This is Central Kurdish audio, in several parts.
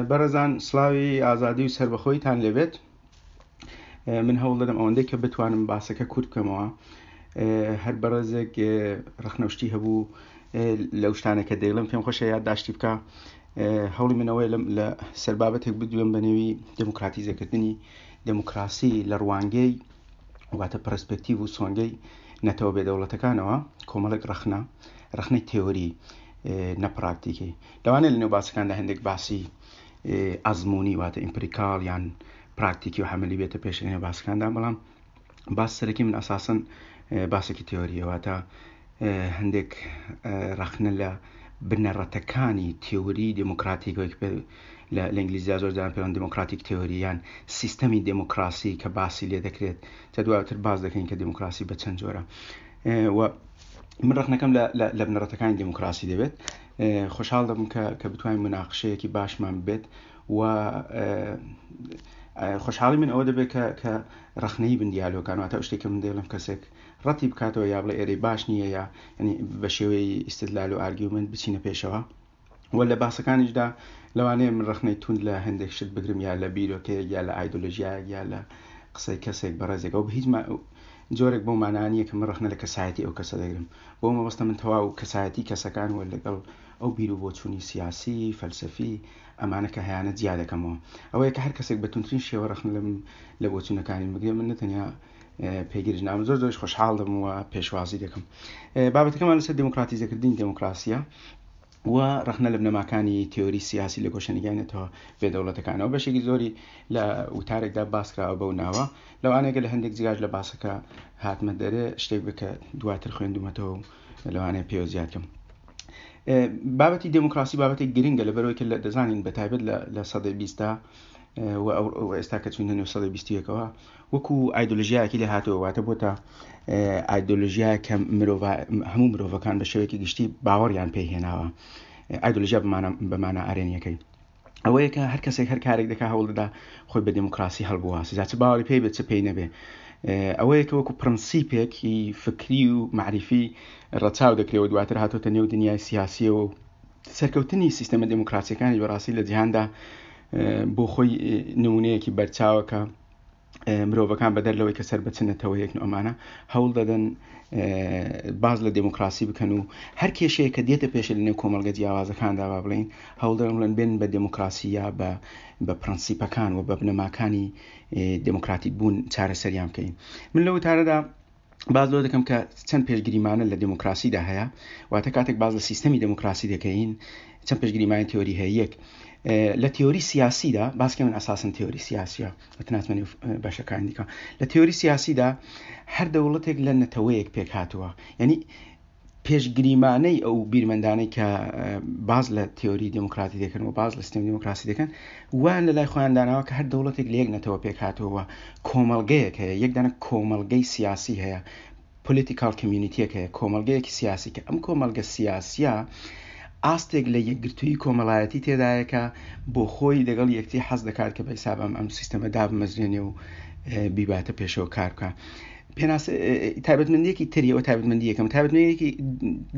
بەڕێزان سڵاوی ئازادی و سەربەخۆیتان لێبێت من هەوڵ دەدەم ئەوەندەی کە بتوانم باسەکە کورت بکەمەوە هەر بەڕێزێک ڕەخنەوشتی هەبوو لەو شتانە کە دەیڵم پێم خۆشە یادداشتی بکە هەوڵی منەوەی لە سەر بابەتێک بدوێم بە نێوی دموکراتیزەکردنی دموکراسی لە ڕوانگەی واتە پرسپێکتیڤ و سۆنگەی نەتەوە بێدەوڵەتەکانەوە کۆمەڵێک ڕەخنە ڕەخنەی تێۆری نە پراکتیکی لەوانەیە لەنێو باسەکاندا هەندێک باسی ئەزمموونی واتە empirical یان پراکتیکی و عەمەلی بێتە پێش لەنێو باسەکاندا بەڵام باس سەرەکی من ئەساسەن باسێکی تێۆریە واتە هەندێک ڕەخنە لە بنەڕەتەکانی تێوری دێموکراتیک وەک لە ئینگلیزیا زۆر جاران پێوان democratic theory یان سیستەمی دێموکراسی کە باسی لێ دەکرێت تا دواتر باس دەکەین کە دێموکراسی بە چەند جۆرە و من ڕەخنەکەم لە بنەڕەتەکانی دێموکراسی دەبێت خۆشحاڵ دەبم کە کە بتوانین مناقشەیەکی باشمان بێت و خۆشحاڵی من ئەوە دەبێت کە کە ڕەخنەی بن دیالۆگەکان واتە شتێک کە من دەیڵم کەسێک ڕەتی بکاتەوە یا بڵێ ئێرەی باش نییە یا ینی بە شێوەی ئیستدلال و argument بچینە پێشەوە و لە باسەکانیشدا لەوانەیە من ڕەخنەی توند لە هەندێک شت بگرم یا لە بیرۆکەیەک یا لە ئایدۆلۆژیایەک یا لە قسەی کەسێک بەڕێزێک ئەو بە هیچ جۆرێک بۆ مانا نییە کە من ڕەخنە لە کەسایەتی ئەو کەسە دەگرم بۆ مەبەستە من تەواو کەسایەتی کەسەکان و لەگەڵ ئەو بیر و بۆچوونی سیاسی فەلسەفی ئەمانە کە هەیانە جیا دەکەمەوە ئەوەیە کە هەر کەسێک بە توندترین شێوە ڕەخنە لەم لە بۆچوونەکانی بگرێ من نەتەنیا پێگیرش نابم زۆر زۆریش خۆشحاڵ دەبم و پێشوازی دەکەم بابەتەکەمان لەسەر دێموکراتیزەکردنی دێموکراسیە و ڕەخنە لە بنەماکانی تیۆری سیاسی لە گۆشەنیگای نەتەوە بێدەوڵەتەکانەوە بەشێکی زۆری لە وتارێکدا باسکراوە بەو ناوە لەوانەیە لە هەندێک جگاش لە باسەکە هاتمە دەرێ شتێک بکە دواتر خوێندومەتەوە و لەوانەیە پێوە زیاد کەم بابەتی دێموکراسی بابەتێک گرنگە لەبەرەوەی کە دەزانین بە تایبەت لە سەدەی بیستا و ئێستا کە چوینە نێو سەدەی بیستیەکەوە وەکو ئایدۆلژیایەکی لێ هاتەوە واتە بۆتە ئایدۆلژیا کە مرۆڤ هەموو مرۆڤەکان بە شێوەیەکی گشتی باوەڕیان پێ هێناوە ئایدۆلژیا بەمانە ئارێنیەکەی ئەوەیە کە هەر کەسێک هەر کارێک دەکا هەوڵ دەدا خۆی بە دێموکراسی هەڵبواسێ جا چ باوەڕی پێی بێت چ پێی نەبێ ئەوەیە کە وەکو پرەنسیپێکی فکری و مەعریفی ڕەچاو دەکرێ و دواتر هاتۆتە نێو دنیای سیاسیەوە و سەرکەوتنی سیستەمە دێموکراسیەکانی بەڕاستی لە جیهاندا بۆ خۆی نمونەیەکی بەرچاوە کە مرۆڤەکان بەدەر لەوەی کە سەر بە چ نەتەوەیەکن و ئەمانە هەوڵ دەدەن باز لە دێموکراسی بکەن و هەر کێشەیە کە دێتە پێشە لە نێو کۆمەڵگە جیاوازەکاندا با بڵین هەوڵ دەدەن بڵێن بێن بە دێموکراسی یا بە بە پرەنسیپەکان و بە بنەماکانی دێموکراتیک بوون چارەسەریان بکەین من لەو وتارەدا باس لەوە دەکەم کە چەند پێشگریمانە لە دێموکراسیدا هەیە واتە کاتێک باس لە سیستەمی دێموکراسی دەکەین چەند پێشگریمانی تیۆری هەیە یەک لە تیۆری سیاسیدا باسکە من ئەساسن تیۆری سیاسیە وتناتمە نێو بەشەکانی دیکە لە تیۆری سیاسیدا هەر دەوڵەتێک لە نەتەوەیەک پێک هاتووە یعنی پێشگریمانەی ئەو بیرمەندانەی کە باز لە تیۆری دێموکراتی دەکەن و باز لە سیستەمی دێموکراسی دەکەن وایان لە لای خۆیان داناوە کە هەر دەوڵەتێک لە یەک نەتەوە پێک هاتووە کۆمەڵگەیەک هەیە یەک دانە کۆمەڵگەی سیاسی هەیە political community یەک هەیە کۆمەڵگەیەکی سیاسی کە ئەم کۆمەڵگە سیاسیە ئاستێک لە یەکگرتووی کۆمەڵایەتی تێدایە کە بۆ خۆی لەگەڵ یەکتی حەز دەکات کە بە حیساب ئەم ئەم سیستەمە دابمەزرێنێ و بیباتە پێشەوە کار بکە پێناس تایبەتمەندیەکی تری ئەوە تایبەتمەندی یەکەم تایبەتمەندیەکی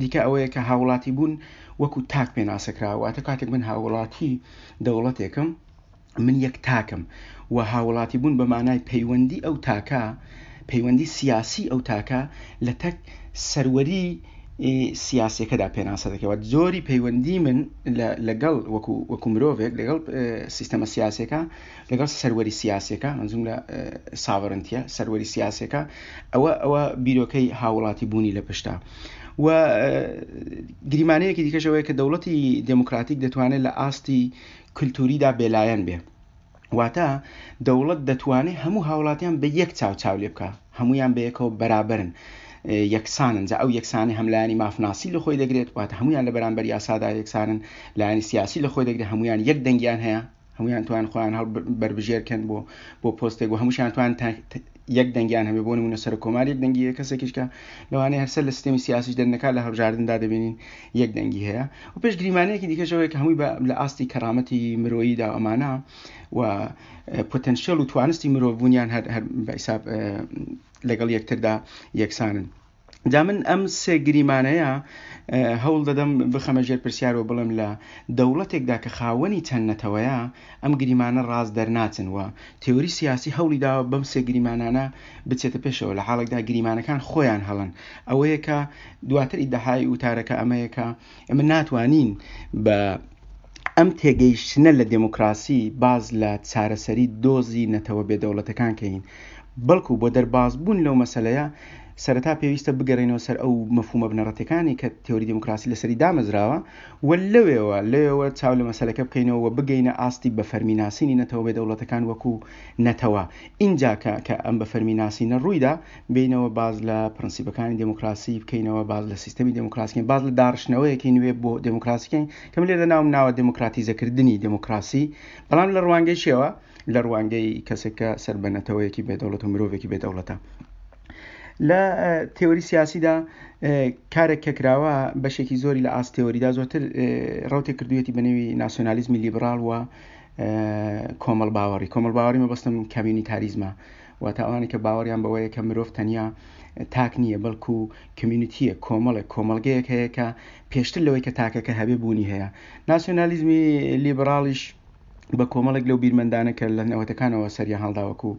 دیکە ئەوەیە کە هاوڵاتی بوون وەکو تاک پێناسە کراوە واتە کاتێک من هاوڵاتی دەوڵەتێکم من یەک تاکم و هاوڵاتی بوون بە مانای پەیوەندی ئەو تاکە پەیوەندی سیاسی ئەو تاکە لە تەک سەروەری سیاسیەکەدا پێناسە دەکەوە جۆری پەیوەندی من لەگەڵ وەکو وەکو مرۆڤێک لەگەڵ سیستەمە سیاسەکە لەگەڵ سەروەری سیاسیەکە مەنزوم لە sovereignty ە سەروەری سیاسیەکە ئەوە ئەوە بیرۆکەی هاوڵاتی بوونی لە پشتە و گریمانەیەکی دیکەشەوەیە کە دەوڵەتی دێموکراتیک دەتوانێت لە ئاستی کللتوریدا بێلایەن بێ واتە دەوڵەت دەتوانێت هەموو هاوڵاتیان بە یەک چاو چاو لێ بکە هەمویان بە یەکەوە بەرابرن یەکسانن جا ئەو یەکسانی هەم لایەنی مافناسی لە خۆی دەگرێت واتە هەمویان لە بەرامبەر یاسادا یەکسانن لایەنی سیاسی لە خۆی دەگرێت هەمویان یەک دەنگیان هەیە هەمویان توان خۆیان هەڵ بەربژێر کەن بۆ بۆ پۆستێک و هەمووشیان توان یەک دەنگیان هەبێ بۆ نمونە سەرۆک کۆمار یەک دەنگی هەیە کەسێکیش کە لەوانەیە هەر سەر لە سیستەمی سیاسیش دەرنەکات لە هەڵبژاردندا دەبینین یەک دەنگی هەیە و پێش گریمانەیەکی دیکەش ئەوەیە کە هەمووی لە ئاستی کەرامەتی مرۆییدا ئەمانە و پۆتەنشیەل و توانستی مرۆڤبوونیان هەر هەر بە حیساب لەگەڵ یەکتردا یەکسانن. جا من ئەم سێ گریمانەیە هەوڵ دەدەم بخەمە ژێر پرسیار و بڵێم لە دەوڵەتێکدا کە خاوەنی چەند نەتەوەیە ئەم گریمانە ڕاست دەرناچن و تێوری سیاسی هەوڵی داوە بەم سێ گریمانانە بچێتە پێشەوە لە حاڵێکدا گریمانەکان خۆیان هەڵەن. ئەوەیە کە دواتر ئیدعای وتارەکە ئەمەیە کە ئێمە ناتوانین بە ئەم تێگەیشتنە لە دێموکراسی باز لە چارەسەری دۆزی نەتەوە بێدەوڵەتەکان کەین، بەڵکو بۆ دەربازبوون لەو مەسەلەیە سەرەتا پێویستە بگەڕێینەوە سەر ئەو مەفهومە بنەڕەتیەکانی کە تێۆری دێموکراسی لەسەری دامەزراوە و لەوێوە لەوێوە چاو لە مەسەلەکە بکەینەوە و بگەینە ئاستی بە فەرمی ناسینی نەتەوە بێدەوڵەتەکان وەکو نەتەوە ئینجا کە کە ئەم بە فەرمی ناسینە ڕوویدا بێینەوە باس لە پرەنسیپەکانی دێموکراسی بکەینەوە، باس لە سیستەمی دێموکراسی بکەین، باس لە داڕشتنەوەیەکی نوێ بۆ دێموکراسی بکەین کە من لێرە ناوم ناوە دێموکراتیزەکردنی دێموکراسی، بەڵام لە ڕوانگەی چیەوە؟ لە ڕوانگەی کەسێک کە سەر بە نەتەوەیەکی بێدەوڵەت و مرۆڤێکی بێدەوڵەتە. لە تێۆری سیاسیدا کارێک کە کراوە بەشێکی زۆری لە ئاست تێۆریدا زۆرتر ڕوتێک کردوویەتی بە نێوی ناسیۆنالیزمی لیبراڵ و کۆمەڵ باوەڕی کۆمەڵ باوەڕی مەبەستم کامیونیتاریزمە واتە ئەوانەی کە باوەڕیان بەوەیە کە مرۆڤ تەنیا تاک نییە بەڵکو کمیونیتیە کۆمەڵێک کۆمەڵگەیەک هەیە کە پێشتر لەوەی کە تاکەکە هەبێ بوونی هەیە ناسیۆنالیزمی لیبراڵیش بە کۆمەڵێک لەو بیرمەندانە کە لە نەوەتەکانەوە سەریان هەڵداوەکو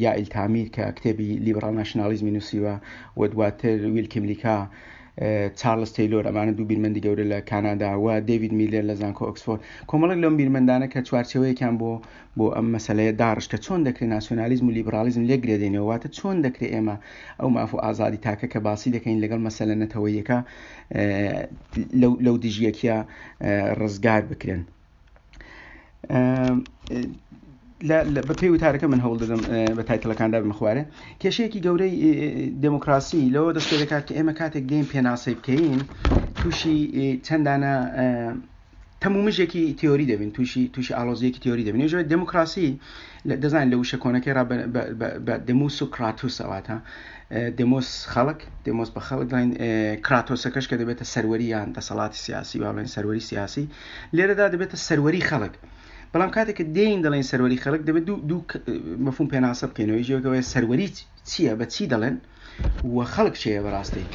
یائیل تامیر کە کتێبی لیبراڵ ناشنالیزمی نووسیوە و دواتر ویل کیملیکا چارلز تەیلۆر ئەمانە دوو بیرمەندی گەورە لە کانادا و دەیڤید میلەر لە زانکۆ ئۆکسفۆرد کۆمەڵێک لەم بیرمەندانە کە چوارچێوەیەکیان بۆ بۆ ئەم مەسەلەیە داڕشت کە چۆن دەکرێت ناسیۆنالیزم و لیبراڵیزم لێک گرێدەینەوە، واتە چۆن دەکرێت ئێمە ئەو ماف و ئازادی تاکە کە باسی دەکەین لەگەڵ مەسەلە نەتەوەییەکە لەو دژیەکیە ڕزگار بکرێن. بە پێی وتارەکە من هەوڵ دەدەم بە تایتڵەکاندا بمە خوارێ کێشەیەکی گەورەی دێموکراسی لەوە دەست پێ دەکات کە ئێمە کاتێک دێین پێناسەی بکەین تووشی چەندانە تەمومژێکی تیۆری دەبین تووشی تووشی ئاڵۆزیەکی تیۆری دەبین ژێ دێموکراسی دەزانین لە وشە کۆنەکەی ڕا بە دێموس و کراتوس ئەواتە دێمۆس خەڵک دێمۆس بە خەڵک دەڵێن کراتۆسەکەش کە دەبێتە سەروەری یان دەسەڵاتی سیاسی با بڵێن سەروەری سیاسی لێرەدا دەبێتە سەروەری خەڵک بەڵام کاتێک کە دێین دەڵێن سەروەری خەڵک دەبێت دوو دوو مەفهوم پێناسە بکەینەوە یەکەوەیە سەروەری چییە بە چی دەڵێن و خەڵک چێە بەڕاستی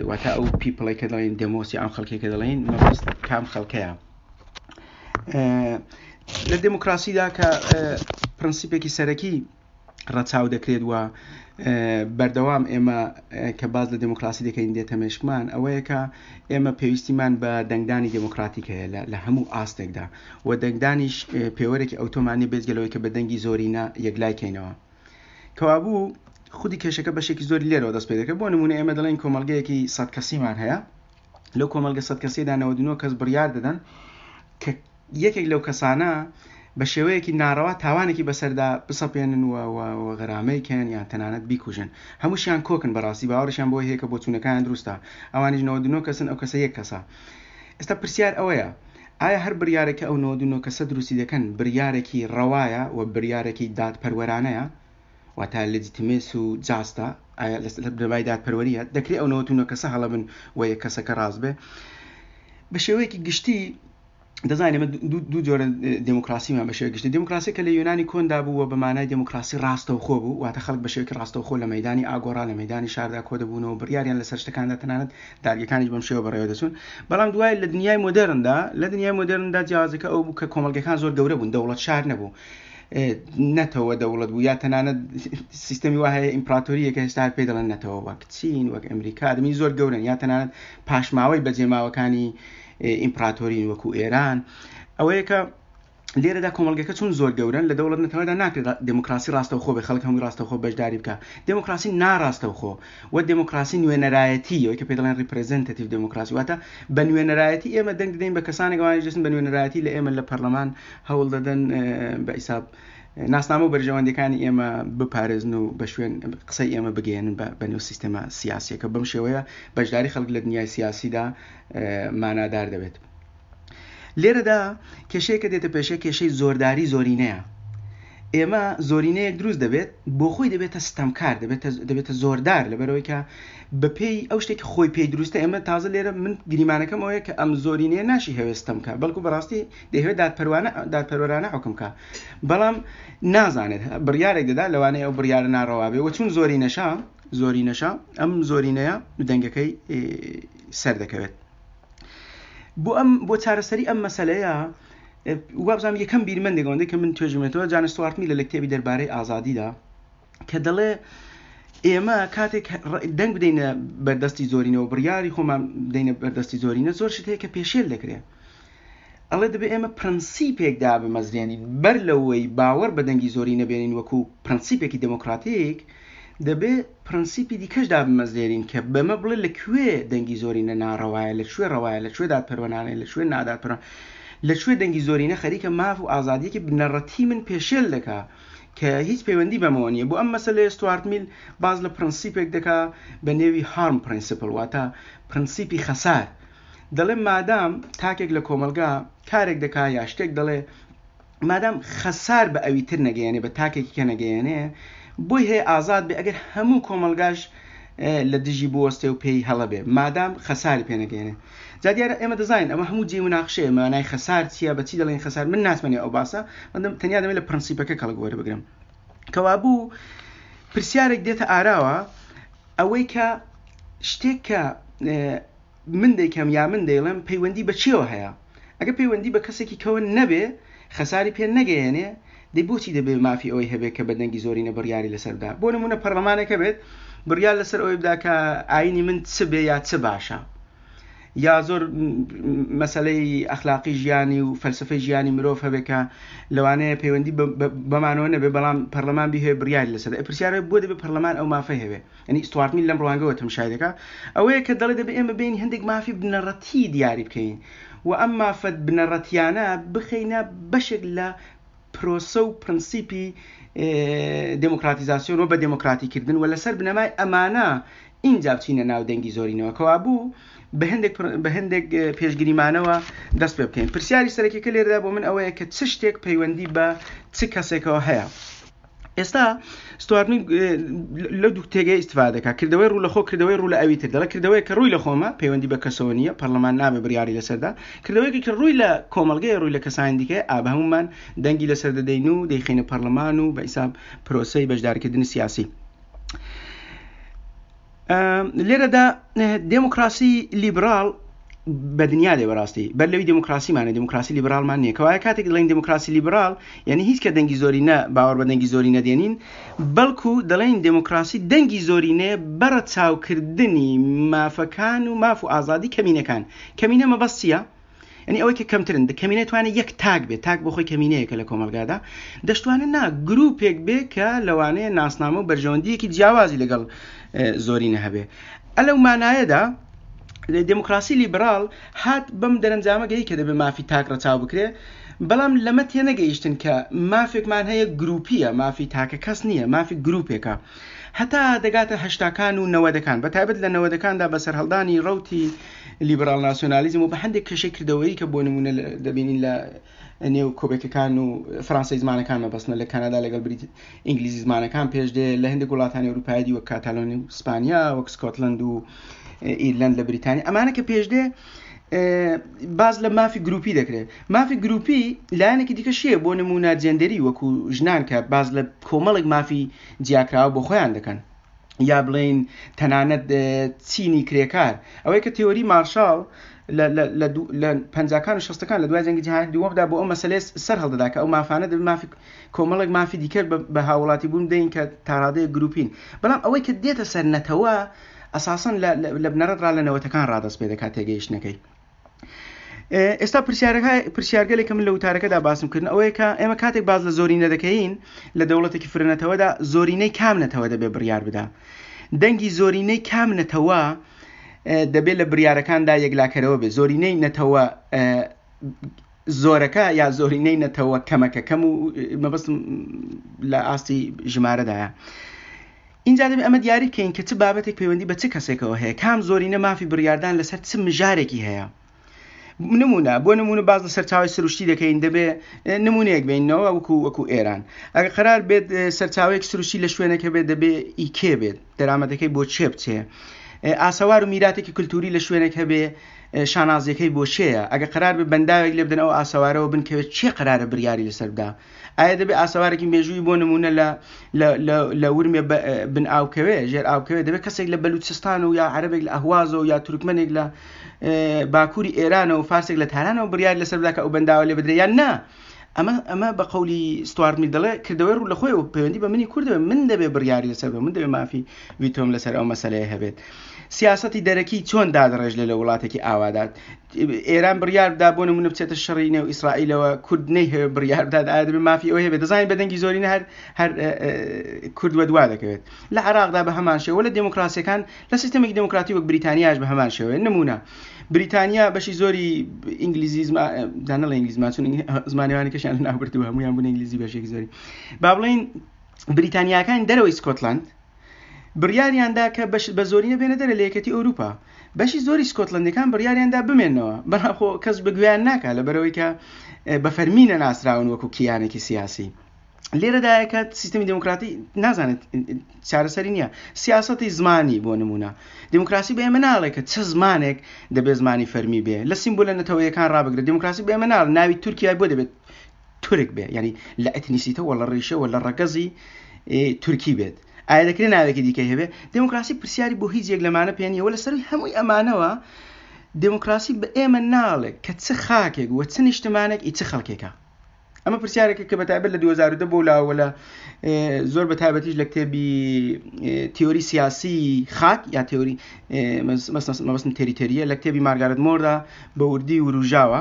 واتە ئەو پیپڵی کە دەڵێن دێمۆسی ئەم خەڵکێک کە دەڵێن مەبەست کام خەڵکەیە لە دێموکراسیدا کە پرەنسیپێکی سەرەکی ڕەچاو دەکرێت و بەردەوام ئێمە کە باز لە دێموکراسی دەکەین دێتە مێشکمان ئەوەیە کە ئێمە پێویستیمان بە دەنگدانی دێموکراتیک هەیە لە هەموو ئاستێکدا و دەنگدانیش پێوەرێکی ئەوتۆمان نیە بێجگە لەوەی کە بە دەنگی زۆرینە یەکلای کەینەوە. کەوابوو خودی کێشەکە بەشێکی زۆری لێرەوە دەست پێ دەکرد بۆ نمونە ئێمە دەڵێن کۆمەڵگەیەکی سەد کەسیمان هەیە لەو کۆمەڵگە سەد کەسیدا 99 کەس بڕیار دەدەن کە یەکێک لەو کەسانە بە شێوەیەکی ناڕەوا تاوانێکی بەسەردا بسەپێنن و و غەرامەی کەن یان تەنانەت بیکوژن هەمووشیان کۆکن بەڕاستی باوەڕیشیان بۆی هەیە کە بۆچوونەکانیان دروستە ئەوانیش 99 کەسن ئەو کەسە یەک کەسە ئێستا پرسیار ئەوەیە ئایا هەر بریارێک کە ئەو 99 کەسە دروستی دەکەن بریارێکی ڕەوایە و بریارێکی دادپەروەرانەیە واتە لێجیتیمێس و جاستە ئایا لە بنەمای دادپەروەریە دەکرێ ئەو 99 کەسە هەڵە بن و یەک کەسەکە ڕاست بێ بە شێوەیەکی گشتی دەزانین ئێمە دوو جۆرە دێموکراسیمان بە شێوەی گشتی دێموکراسی کە لە یۆنانی کۆندا بوو و بە مانای دێموکراسی ڕاستەوخۆ بوو واتە خەڵک بە شێوەیەکی ڕاستەوخۆ لە مەیدانی ئاگۆرا لە مەیدانی شاردا کۆ دەبوونەوە بڕیاریان لەسەر شتەکاندا تەنانەت دادگەکانیش بەم شێوە بەڕێوە دەچوون بەڵام دوای لە دنیای مۆدێرندا لە دنیای مۆدێرندا جیاوازەکە ئەو بوو کە کۆمەڵگەکان زۆر گەورە بوون دەوڵەت شار نەبوو نەتەوە دەوڵەت بوو یا تەنانەت سیستەمی وا هەیە ئیمپراتۆریە کە هێشتا پێی دەڵێن نەتەوە وەک چین وەک ئەمریکا دەمی زۆر گەورن یا تەنانەت پاشماوەی بەجێماوەکانی ئیمپراتۆرین وەکو ئێران ئەوەیە کە لێرەدا کۆمەڵگەکە چون زۆر گەورەن لە دەوڵەت نەتەوەدا ناکرێت دێموکراسی ڕاستەوخۆ بێ خەڵک هەمووی ڕاستەوخۆ بەشداری بکە دێموکراسی ناڕاستەوخۆ و دێموکراسی نوێنەرایەتی ئەوەی کە پێ دەڵێن ڕیپرزنتەتیڤ دێموکراسی واتە بە نوێنەرایەتی ئێمە دەنگ دەدەین بە کەسانێک ئەوانیش دەچن بە نوێنەرایەتی لە ئێمە لە پەرلەمان هەوڵ دەدەن بە حیساب ناسنامە و بەرژەوەندیەکانی ئێمە بپارێزن و بە شوێن قسەی ئێمە بگەیەنن بە نێو سیستەمە سیاسیەکە بەم شێوەیە بەشداری خەڵک لە دنیای سیاسیدا مانادار دەبێت. لێرەدا کێشەیەکە دێتە پێشێ کێشەی زۆرداری زۆرینەیە. ئێمە زۆرینەیەک دروست دەبێت بۆ خۆی دەبێتە ستەمکار دەبێتە دەبێتە زۆردار لەبەرەوەی کە بەپێی ئەو شتێکی خۆی پێی دروستە ئێمە تازە لێرە من گریمانەکەم ئەوەیە کە ئەم زۆرینەیە ناشی هەوێ ستەم کە بەڵکو بەڕاستی دەیهەوێت دادپەروانە دادپەروەرانە حوکم کا بەڵام نازانێت بڕیارێک دەدا لەوانەیە ئەو بڕیارە ناڕەوا بێ و چون زۆرینەشە زۆرینەشە ئەم زۆرینەیە دەنگەکەی سەر دەکەوێت بۆ ئەم بۆ چارەسەری ئەم مەسەلەیە وابزانام یەکەم بیرمەندێک ئەوەندەی کە من توێژمێتەوە جان ستوارت میل لە کتێبی دەربارەی ئازادیدا کە دەڵێ ئێمە کاتێک دەنگ بدەینە بەردەستی زۆرینەوە بڕیاری خۆمان بدەینە بەردەستی زۆرینە زۆر شت هەیە کە پێشێل دەکرێت ئەڵێ دەبێ ئێمە پرەنسیپێک دابمەزرێنین بەر لەوەی باوەڕ بە دەنگی زۆرینە بێنین وەکو پرەنسیپێکی دێمۆکڕاتیک، دەبێ پرەنسیپی دیکەش دابمەزرێنین کە بەمە بڵێ لە کوێ دەنگی زۆرینە ناڕەوایە، لە کوێ ڕەوایە، لە کوێ دادپەروەرانەیە، لە کوێ نادادپەروەرانە، لە کوێ دەنگی زۆرینە خەریکە ماف و ئازادییەکی بنەڕەتیی من پێشێل دەکا کە هیچ پەیوەندی بەمەوە نییە. بۆ ئەم مەسەلەیە ستوارت میل باس لە پرەنسیپێک دەکا بە نێوی harm principle واتە پرەنسیپی خەسار. دەڵێ مادام تاکێک لە کۆمەڵگا کارێک دەکا یا شتێک دەڵێ مادام خەسار بە ئەوی تر نەگەیەنێ بە تاکێکی کە نەگەیەنێ بۆی هەیە ئازاد بێ ئەگەر هەموو کۆمەڵگاش لە دژی بوەستێ و پێی هەڵە بێ مادام خەساری پێ نەگەیەنێ جا دیارە ئێمە دەزانین ئەمە هەموو جێی مناقشەیە مانای خەسار چییە بە چی دەڵێن خەسار من ناچمە نێو ئەو باسە تەنیا دەمێ لە پرەنسیپەکە کەڵک وەربگرم کەوابوو پرسیارێک دێتە ئاراوە ئەوەی کە شتێک کە من دەیکەم یا من دەیڵێم پەیوەندی بە چیەوە هەیە؟ ئەگەر پەیوەندی بە کەسێکی کەوە نەبێ، خەساری پێ نەگەیەنێ، دەی بۆچی دەبێ مافی ئەوەی هەبێ کە بە دەنگی زۆرینە بڕیاری لەسەر بدا؟ بۆ نموونە پەڕلەمانێک هەبێت بڕیار لەسەر ئەوەی بدا کە ئایینی من چ بێ یا چ باشە، یا زۆر مەسەلەی ئەخلاقی ژیانی و فەلسەفەی ژیانی مرۆڤ هەبێ کە لەوانەیە پەیوەندی بەمانەوە نەبێ، بەڵام پەڕلەمان بیهەوێ بڕیاری لەسەر بدا. پرسیار ئەوەیە بۆ دەبێ پەڕلەمان ئەو مافەی هەبێ؟ یانی ستوارت میل لەم ڕوانگەوە تەمشای دەکا ئەوەیە کە دەڵێ دەبێ ئێمە بێین هەندێک مافی بنەڕەتی دیاری بکەین و ئەم مافە بنەڕەتیانە بخەینە بەشێک لە پرۆسە و پرەنسیپی دێموکراتیزاسیۆن و بە دێموکراتیکردن و لەسەر بنەمای ئەمانە ئینجا بچینە ناو دەنگی زۆرینەوە کەوابوو بە هەندێک بە هەندێک پێشگریمانەوە دەست پێ بکەین پرسیاری سەرەکیەکە لێرەدا بۆ من ئەوەیە کە چ شتێک پەیوەندی بە چ کەسێکەوە هەیە ئێستا ستوارت میل لەو دوو تێگەی ئیستفادە دەکات کردەوەی ڕوو لە خۆ کردەوەی ڕوو لە ئەوی تر دەڵێ کردەوەی کە ڕووی لە خۆمە پەیوەندی بە کەسەوە نییە پەرلەمان نابێ بڕیاری لەسەردا کردەوەیەکی کە ڕووی لە کۆمەڵگەیە ڕووی لە کەسانی دیکە ئا بە هەموومان دەنگی لەسەر دەدەین و دەیخەینە پەرلەمان و بە حیساب پرۆسەی بەشداریکردنی سیاسی لێرەدا دێموکراسی لیبراڵ بە دنیا دێ بەڕاستی بەر لەوی دێموکراسیمانە دێموکراسی لیبراڵمان نییە کەوایە کاتێک دەڵێن دێموکراسی لیبراڵ یعنی هیچ کە دەنگی زۆری نە باوەڕ بە دەنگی زۆری نەدێنین بەڵکو دەڵێن دێموکراسی دەنگی زۆرینەیە بەڕە چاوکردنی مافەکان و ماف و ئازادی کەمینەکان کەمینە مەبەست چییە؟ یعنی ئەوەی کە کەمترن کەمینە توانێت یەک تاک بێت تاک بۆ خۆی کەمینەیەکە لە کۆمەلگادا دەشتوانێت نا گروپێک بێ کە لەوانەیە ناسنامە و بەرژەوەندیەکی جیاوازی لەگەڵ زۆرینە هەبێ ئەلەو مانایەدا دموکراسی لیبرال هات بەم دەرەنجامە گەی کە دەبێ مافی تاک ڕەچاو بکرێ بەڵام لەمە تێنەگەیشتن کە مافێکمان هەیە گروپیە مافی تاکە کەس نییە مافی گروپێکە هەتا دەگاتە هەشتاکان و نەوەدەکان بەتایبەت لە نەوەدەکاندا بە سەرهەڵدانی ڕەوتی لیبراڵ ناسیۆنالیزم و بە هەندێک کێشەی کردەوەیی کە بۆ نمونە دەبینین لە نێو کۆبێکەکان و فەرانسەی زمانەکان مەبەستمە لە کانادا لەگەڵ بریت ئینگلیزی زمانەکان پێش دێ لە هەندێک وڵاتانی ئەوروپایی دی وەک کاتالۆنی و ئیسپانیا وەک سکۆتلەند و ئیرلەند لە بریتانیا ئەمانە کە پێش دێ باز لە مافی گروپی دەکرێت مافی گروپی لایەنێکی دیکە شیە بۆ نمونە جێندەری وەکو ژنان کە باز لە کۆمەڵێک مافی جیاکراوە بۆ خۆیان دەکەن یا بڵێین تەنانەت چینی کرێکار ئەوەی کە تێۆری مارشاڵ لە پەنجاکان و شەستەکان لە دوای جەنگی جیهانی دووەمدا بۆ ئەو مەسەلەیە سەر هەڵدەدا کە ئەو مافانە دەبێت مافی کۆمەڵێک مافی دیکە بە هاوڵاتی بوون بدەین کە تاڕادەیەک گروپین بەڵام ئەوەی کە دێتە سەر نەتەوە ئەساسەن لە بنەڕەت ڕا لە نەوەتەکان ڕادەست پێ دەکات تێگەیشتنەکەی ئێستا پرسیارەکە پرسیارگەلێک کە من لە وتارەکەدا باسم کردن ئەوەیە کە ئێمە کاتێک باز لە زۆرینە دەکەین لە دەوڵەتێکی فرەنەتەوەدا زۆرینەی کام نەتەوە دەبێ بڕیار بدا دەنگی زۆرینەی کام نەتەوە دەبێت لە بریارەکاندا یەکلاکەرەوە بێ زۆرینەی نەتەوە زۆرەکە یا زۆرینەی نەتەوە کەمەکە کەم و مەبەستم لە ئاستی ژمارەدایە ئینجا دەبێت ئەمە دیاری بکەین کە چ بابەتێک پەیوەندی بە چ کەسێکەوە هەیە، کام زۆرینە مافی بڕیاردان لەسەر چ مژارێکی هەیە. نمونە بۆ نمونە باز لە سەرچاوی سروشتی دەکەین دەبێ نمونەیەک بینەوە وەکو وەکو ئێران ئەگەر قرار بێت سەرچاوەیەک سروشتی لە شوێنێک هەبێت دەبێ ئی کێ بێت دەرامەتەکەی بۆ چێ بچێ ئاسەوار و میراتێکی کللتوری لە شوێنێک هەبێ شانازیەکەی بۆ چێیە ئەگە قرار بێ بەنداوێک لێ بدەن ئەو ئاسەوارەوە بنکەوێت چێ قرارە بریاری لەسەر بدا ئایا دەبێ ئاسەوارێکی مێژووی بۆ نمونە لە لە ورمێ بن ئاوکەوێ ژێر ئاوکەوێ دەبێت کەسێک لە بەلوچستان و یا عەرەبێک لە ئەهوازەوە یا تورکمنێک لە باکووری ئێرانەوە فارسێک لە تارانەوە بڕیار لەسەر بدا کە ئەو بەنداوە لێ بدرێ یان نا ئەمە ئەمە بە قەولی ستوارت میل دەڵێ کردەوەی ڕوو لە خۆی و پەیوەندی بە منی کوردەوە من دەبێ بڕیاری لەسەر بە من دەبێ مافی ڤیتۆم لەسەر ئەو مەسەلەیە هەبێت سیاسەتی دەرەکی چۆن دادڕێژ لە لە وڵاتێکی ئاوادات ئێران بڕیار بدا بۆ نمونە بچێتە شەڕی نێو ئیسرائیلەوە کورد نەیهەوێ بڕیار بدات ئایا دەبێ مافی ئەوەی هەبێت دەزانین بە دەنگی زۆرینە هەر هەر کورد وەدوا دەکەوێت لە عێراقدا بە هەمان شێوە لە دێموکراسیەکان لە سیستەمێکی دێموکراتی وەک بریتانیاش بە هەمان شێوەیە نمونە بریتانیا بەشی زۆری ئینگلیزی دانەڵێ ئینگلیزمان چون زمانەوانی کەشیان لەناوبردووە هەموویان بوون ئینگلیزی بەشێکی زۆری با بڵێین بریتانیاکانی دەرەوەی سکۆتلەند بڕیاریان دا کە بە زۆرینە بێنە دەرە لە یەکێتی ئەوروپا. بەشی زۆری سکۆتلەندیەکان بڕیاریان دا بمێنەوە، بەڵام خۆ کەس بە گوێیان ناکا لەبەرئەوەی کە بە فەرمی نەناسراون وەکو کیانێکی سیاسی. لێرەدایە کە سیستمی دێموکراتی نازانێت چارەسەری نییە. سیاسەتی زمانی بۆ نموونە دێموکراسی بە ئێمە ناڵێ کە چ زمانێک دەبێ زمانی فەرمی بێ. لە سیمبولە نەتەوەیەکان ڕابگرە دێموکراسی بە ئێمە ناڵێ ناوی تورکیای بۆ دەبێت تورک بێ یعنی لە ئەتنیسیتە وە لە ڕیشە وە لە ڕەگەزی تورکی بێت ئایا دەکرێت ناوێکی دیکەی هەبێ دموکراسی پرسیاری بۆ هیچ یەک لەمانە پێ نییە وە لە سەروی هەمووی ئەمانەوە دموکراسی بە ئێمە ناڵێ کە چ خاکێک وە چ نیشتمانێک ئی چ خەڵکێکە ئەمە پرسیارێکە کە بەتایبەت لە 2010 بۆ لاوە لە زۆر بە تایبەتیش لە کتێبی تیۆری سیاسی خاک یا تیۆری مەبەستم تێریتەریە لە کتێبی مارگارت مۆردا بە وردی وروژاوە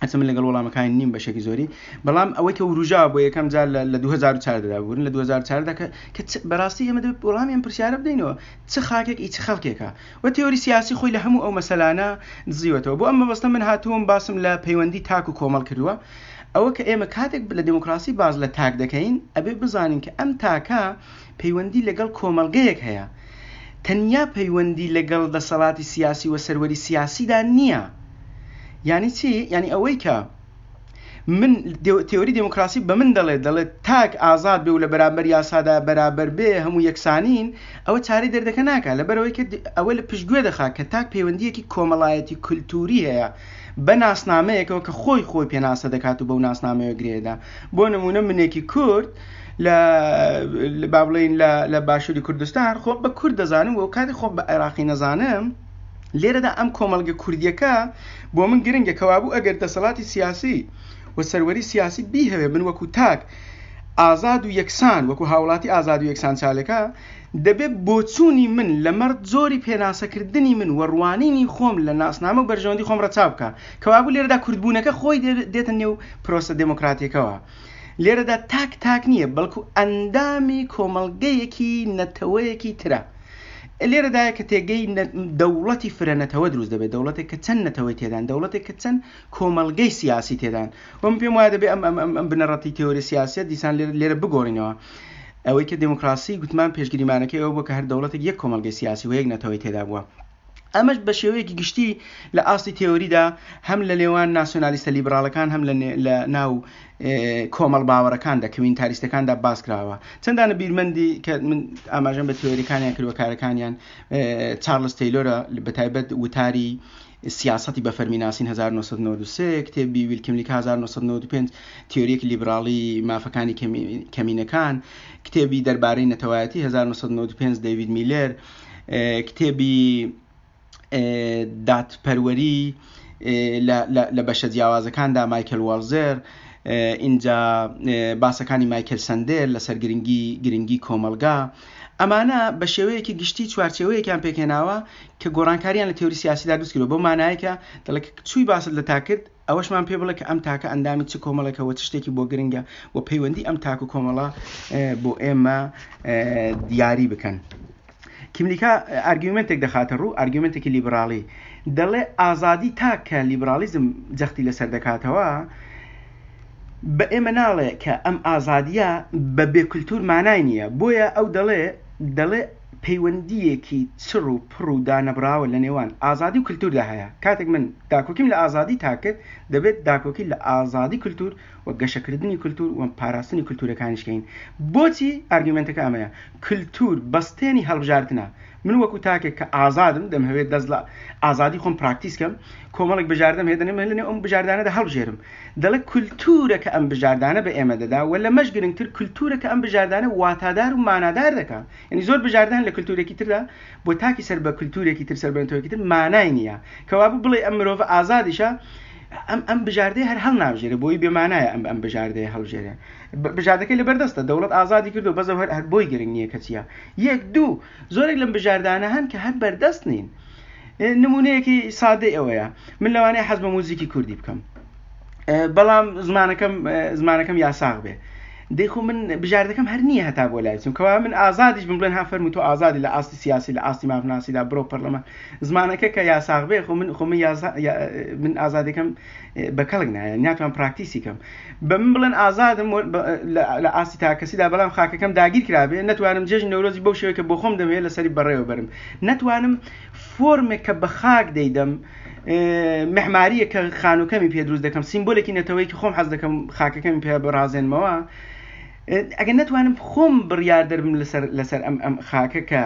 هەرچەند من لەگەڵ وەڵامەکانی نیم بەشێکی زۆری بەڵام ئەوەی کە وروژا بۆ یەکەم جار لە 2014 دا بورن لە 2014 کە کە بەڕاستی ئێمە دەبێت وەڵامی ئەم پرسیارە بدەینەوە چ خاکێک ئی چ خەڵکێکە و تێۆری سیاسی خۆی لە هەموو ئەو مەسەلانە دزیوەتەوە بۆ ئەم مەبەستە من هاتووم باسم لە پەیوەندی تاک و کۆمەڵ کردووە ئەوە کە ئێمە کاتێک لە دێموکراسی باس لە تاک دەکەین ئەبێ بزانین کە ئەم تاکە پەیوەندی لەگەڵ کۆمەڵگەیەک هەیە تەنیا پەیوەندی لەگەڵ دەسەڵاتی سیاسی و سەروەری سیاسیدا نییە. یانی چی؟ یانی ئەوەی کە من تێۆری دێموکراسی بە من دەڵێت دەڵێت تاک ئازاد بێ و لە بەرامبەر یاسادا بەرابەر بێ هەموو یەکسانین ئەوە چارەی دەردەکە ناکا لەبەرئەوەی کە ئەوە لە پشتگوێ دەخا کە تاک پەیوەندییەکی کۆمەڵایەتی کولتووری هەیە بە ناسنامەیەکەوە کە خۆی خۆی پێناسە دەکات و بەو ناسنامەیە گرێدا بۆ نمونە منێکی کورد لە با بڵێین لە باشووری کوردستان خۆم بە کورد دەزانم و کاتی خۆم بە عێراقی نەزانم لێرەدا ئەم کۆمەڵگە کوردیەکە بۆ من گرنگە کەوابوو ئەگەر دەسەڵاتی سیاسی و سەروەری سیاسی بیهەوێ من وەکو تاک ئازاد و یەکسان وەکو هاوڵاتی ئازاد و یەکسان چالەکە دەبێت بۆچوونی من لەمەڕ جۆری پێناسەکردنی من و ڕوانینی خۆم لە ناسنامە و بەرژەوەندی خۆم ڕەچاو بکا. کەوابوو لێرەدا کوردبوونەکە خۆی دێتە نێو پرۆسە دێمۆکراتیەکەوە. لێرەدا تاک تاک نییە، بەڵکو ئەندامی کۆمەڵگەیەکی نەتەوەیەکی ترە. لێرەدایە کە تێگەی دەوڵەتی فرە نەتەوە دروست دەبێت، دەوڵەتێک کە چەند نەتەوەی تێدان، دەوڵەتێک کە چەند کۆمەڵگەی سیاسی تێدان. و من پێم وایە دەبێ ئەم ئەم ئەم بنەڕەتی تێۆری سیاسیە دیسان لێرە لێرە بگۆڕینەوە. ئەوەی کە دێموکراسی گوتمان پێشگریمانەکەی ئەوە بووە کە هەر دەوڵەتێک یەک کۆمەڵگەی سیاسی و یەک نەتەوەی تێدا بووە. ئەمەش بە شێوەیەکی گشتی لە ئاستی تێۆریدا هەم لە نێوان ناسیۆنالیستە لیبراڵەکان هەم لە ناو کۆمەڵ باوەڕەکاندا کەمینتاریستەکاندا باس کراوە. چەندانە بیرمەندی کە من ئاماژەم بە تێۆریەکانیان کردووە کارەکانیان چارلز تەیلۆرە بە تایبەت وتاری سیاسەتی بە فەرمی ناسین 1993، کتێبی ویل کیملیکا 1995، تیۆرییەکی لیبراڵی مافەکانی کەمینەکان، کتێبی دەربارەی نەتەوایەتی 1995 دەیڤید میلێر، کتێبی دادپەروەری لە بەشە جیاوازەکاندا مایکل واڵزێر، ئینجا باسەکانی مایکل سەندێل لەسەر گرنگی گرنگی کۆمەڵگا. ئەمانە بە شێوەیەکی گشتی چوارچێوەیەکیان پێکهێناوە کە گۆڕانکاریان لە تێوری سیاسیدا دروست کردووە بەو مانایە کە دەڵێ کە چووی باست لە تاک کرد ئەوەشمان پێ بڵێ کە ئەم تاکە ئەندامی چ کۆمەڵێکە و چ شتێکی بۆ گرنگە و پەیوەندی ئەم تاک و کۆمەڵە بۆ ئێمە دیاری بکەن. کیملیکا ئارگیومنتێک دەخاتە ڕوو ئارگیومنتێکی لیبراڵی دەڵێ ئازادی تاک کە لیبراڵیزم جەختی لەسەر دەکاتەوە بە ئێمە ناڵێ کە ئەم ئازادیە بە بێ کولتور مانای نییە بۆیە ئەو دەڵێ دەڵێ. پەیوەندییەکی چڕ و پڕ و دانەبڕاوە لە نێوان ئازادی و کلتوردا هەیە. کاتێک من داکۆکیم لە ئازادی تاک کرد، دەبێت داکۆکی لە ئازادی کلتور و گەشەکردنی کلتور و پاراستنی کلتورەکانیش کەین. بۆچی؟ ئارگیومێنتەکە ئەمەیە، کلتور بەستێنی هەڵبژاردنە. من وەکو تاکێک کە ئازادم، دەمهەوێت دەست لە ئازادی خۆم پراکتیس کەم، کۆمەڵێک بژاردەم هەیە، دەمهەوێت لەنێو ئەم بژاردانەدا هەڵبژێرم. دەڵێ کولتوورە کە ئەم بژاردانە بە ئێمە دەدا و لەمەش گرنگتر کولتوورە کە ئەم بژاردانە واتادار و مانادار دەکا. یانی زۆر بژاردە هەن لە کولتوورێکی تردا بۆ تاکی سەر بە کولتوورێکی تر سەر بە نەتەوەیەکی تر مانای نییە. کەوابوو بڵێی ئەم مرۆڤە ئازادیشە ئەم ئەم بژاردەیە هەر هەڵنابژێرێ بۆی بێ مانایە ئەم ئەم بژاردەیە هەڵبژێرێ. بژاردەکەی لەبەر دەستە دەوڵەت ئازادی کردووە بەس ئەو هەر هەر بۆی گرنگ نییە کە چییە. یەک دوو زۆرێک لەم بژاردانە هەن کە هەر بەردەست نین. نمونەیەکی سادەی ئەوەیە من لەوانەیە حەز بە موزیکی کوردی بکەم بەڵام زمانەکەم زمانەکەم یاساغ بێ دەی خۆ من بژاردەکەم هەر نییە هەتا بۆ لای بچم کەوا من ئازادیش بم بڵێن ها فەرموو تۆ ئازادی لە ئاستی سیاسی لە ئاستی مافناسیدا بڕۆ پەرلەمان زمانەکە کە یاساغ بێ خۆ من خۆ من یاسا من ئازادەکەم بە کەڵک نایە ناتوان پراکتیسی کەم بە من بڵێن ئازادم لە ئاستی تاکەسیدا بەڵام خاکەکەم داگیر کرابێ نەتوانم جێژنی نەورۆزی بەو شێوەیە کە بۆ خۆم دەمەوێت لەسەری بەڕێوە بەرم نەتوانم فۆرمێک کە بە خاک دەیدەم معماریە کە خانووکەمی پێ دروست دەکەم سیمبولێکی نەتەوەیەکی خۆم حەز دەکەم خاکەکەمی پێ بڕازێنمەوە ئەگەر نەتوانم خۆم بڕیار دەربم لەسەر لەسەر ئەم ئەم خاکە کە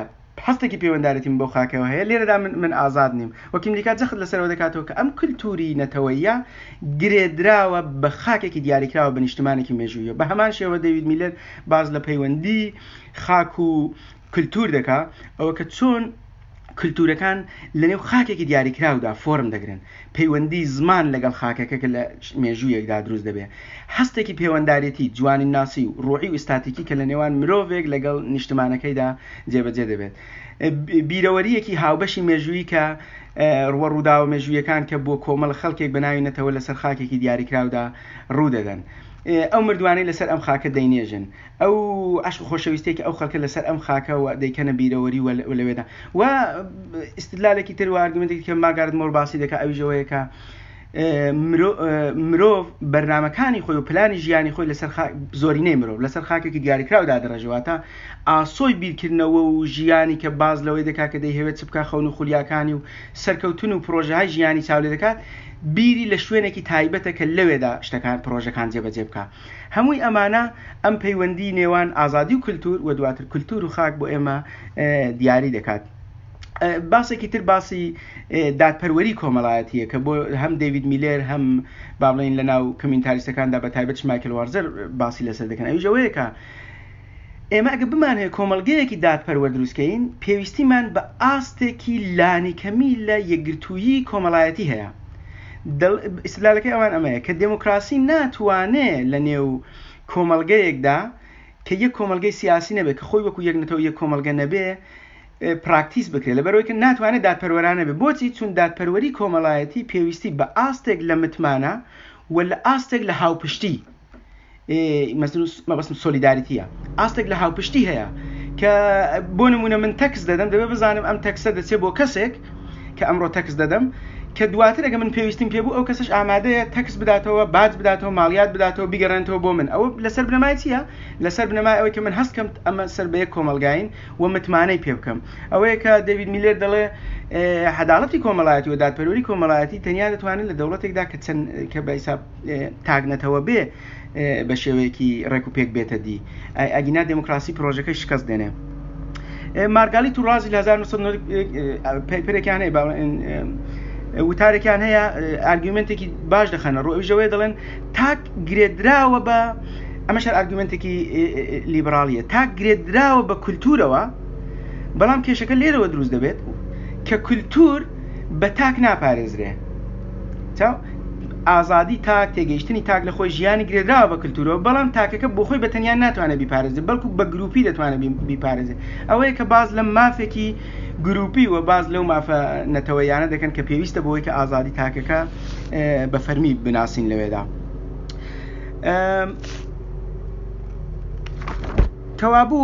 هەستێکی پەیوەندارێتیم بەو خاکەوە هەیە لێرەدا من من ئازاد نیم وە کیملیکا جەخت لەسەرەوە دەکاتەوە کە ئەم کلتوری نەتەوەیە گرێدراوە بە خاکێکی دیاریکراوە بە نیشتمانێکی مێژوویە بە هەمان شێوە دەیوید میلەر باز لە پەیوەندی خاک و کلتور دەکا ئەوە کە چۆن کلتورەکان لەنێو خاکێکی دیاریکراودا فۆرم دەگرن، پەیوەندی زمان لەگەڵ خاکەکە کە لە مێژوویەکدا دروست دەبێ، هەستێکی پێوەندارێتی، جوانیناسی و ڕۆحی و ئیستاتیکی کە لە نێوان مرۆڤێک لەگەڵ نیشتمانەکەیدا جێبەجێ دەبێت، بیرەوەرییەکی هاوبەشی مێژوویی کە ڕووە ڕووداوە مێژوویەکان کە بۆ کۆمەڵە خەڵکێک بە ناوی نەتەوە لەسەر خاکێکی دیاریکراودا ڕوو دەدەن. ئەو مردووانەی لەسەر ئەم خاکە دەینێژن. ئەو عەشق و خۆشەویستیەی کە ئەو خەڵکە لەسەر ئەم خاکە و دەیکەنە بیرەوەری و لەوێدا و ئیستدلالێکی تر و ئارگومنتێکی کە مارگارێت مۆر باسی دەکات ئەویش ئەوەیە کە مرۆڤ بەرنامەکانی خۆی و پلانی ژیانی خۆی لەسەر زۆرینەی مرۆڤ لەسەر خاکێکی دیاریکراو دادەڕێژێ واتە ئاسۆی بیرکردنەوە و ژیانی کە باز لەوەی دەکات کە دەیهەوێت چ بکات خەون و خولیاکانی و سەرکەوتن و پرۆژەهای ژیانی چاو لێ دەکات بیری لە شوێنێکی تایبەتە کە لەوێدا شتەکان پرۆژەکان جێبەجێ بکات هەمووی ئەمانە ئەم پەیوەندی نێوان ئازادی و کلتور و دواتر کلتور و خاک بۆ ئێمە دیاری دەکات. باسێکی تر باسی دادپەروەری کۆمەڵایەتیە کە بۆ هەم دەیوید میلێر هەم با بڵێین لە ناو کۆمیونتاریستەکاندا بە تایبەت مایکل وارزەر باسی لەسەر دەکەن ئەویش ئەوەیە کە ئێمە ئەگە بمانهەوێت کۆمەڵگەیەکی دادپەروەر دروستکەین پێویستیمان بە ئاستێکی لانیکەمی لە یەکگرتوویی کۆمەڵایەتی هەیە ئیستدلالەکەی ئەوان ئەمەیە کە دێموکراسی ناتوانێ لە نێو کۆمەڵگەیەکدا کە یەک کۆمەڵگەی سیاسی نەبێت کە خۆی وەکو یەک نەتەوە یەک کۆمەڵگە نەبێ پراکتیس بکرێت لەبەرەوەی کە ناتوانێت دادپەروەرانە بێت بۆچی چون دادپەروەری کۆمەڵایەتی پێویستی بە ئاستێک لە متمانە و لە ئاستێک لە هاوپشتی مەبەستم سۆلیداریتیە ئاستێک لە هاوپشتی هەیە کە بۆ نمونە من تەکس دەدەم دەبێت بزانم ئەم تەکسە دەچێت بۆ کەسێک کە ئەمڕۆ تەکس دەدەم کە دواتر ئەگە من پێویستیم پێ بوو ئەو کەسش ئامادەیە تەکس بداتەوە باج بداتەوە ماڵیات بداتەوە بیگەڕێنێتەوە بۆ من ئەوە لەسەر بنەمای چییە لەسەر بنەمای ئەوەی کە من هەست کەم ئەمە سەر بە یەک کۆمەڵگاین و متمانەی پێ بکەم ئەوەیە کە دەیڤید میلێر دەڵێ عەداڵەتی کۆمەڵایەتی و دادپەروەری کۆمەڵایەتی تەنیا دەتوانێت لە دەوڵەتێکدا کە چەند کە بە حیساب تاک نەتەوە بێ بە شێوەیەکی ڕێک و پێک بێتە دی ئەگینا دێموکراسی پرۆژەکەی شکست دێنێ مارگالیت و ڕازی لە 1990 پەیپەرێکیان هەیە وتارێکیان هەیە ئارگومنتێکی باش دەخەنە ڕوو ئەویش ئەوەیە دەڵێن تاک گرێدراوە بە ئەمەش هەر ئارگومنتێکی لیبرالیە تاک گرێدراوە بە کولتورەوە بەڵام کێشەکە لێرەوە دروست دەبێت کە کولتور بە تاک ناپارێزرێ چاو ئازادی تاک تێگەیشتنی تاک لە خۆی ژیانی گرێدراوە بە کلتورەوە بەڵام تاکەکە بۆ خۆی بە تەنیا ناتوانێت بیپارێزێت بەڵکو بە گروپی دەتوانێت بیپارێزێت ئەوەیە کە باز لە مافێکی گروپی و باز لەو مافە نەتەوەیانە دەکەن کە پێویستە بۆی کە ئازادی تاکەکە بە فەرمی بناسین لەوێدا. کەوابوو